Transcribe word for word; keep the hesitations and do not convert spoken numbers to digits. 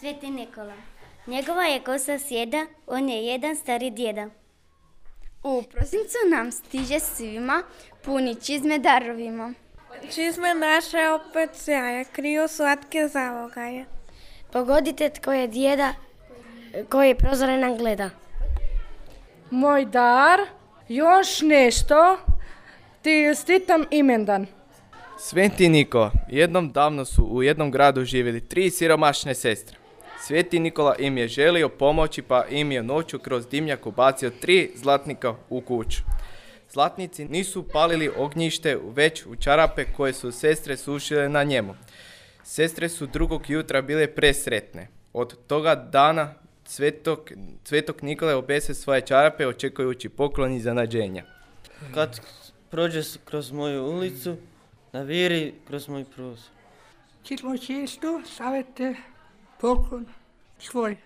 Sveti Nikola. Njegova je kosa sjeda, on je jedan stari djeda. U prosincu nam stiže svima puni čizme darovima. Čizme naše opet sjaje, kriju slatke zalogaje. Pogodite tko je djeda koji prozore nam gleda. Moj dar, još nešto, ti stitam imendan. Sveti Nikola, jednom davno su u jednom gradu živjeli tri siromašne sestre. Sveti Nikola im je želio pomoći pa im je noću kroz dimnjak ubacio tri zlatnika u kuću. Zlatnici nisu palili ognjište već u čarape koje su sestre sušile na njemu. Sestre su drugog jutra bile presretne. Od toga dana Svetog, Svetog Nikole obese svoje čarape očekujući poklon i zanađenja. Kad prođe kroz moju ulicu, naviri kroz moj prozor. Čitlo često savete poklon svoj.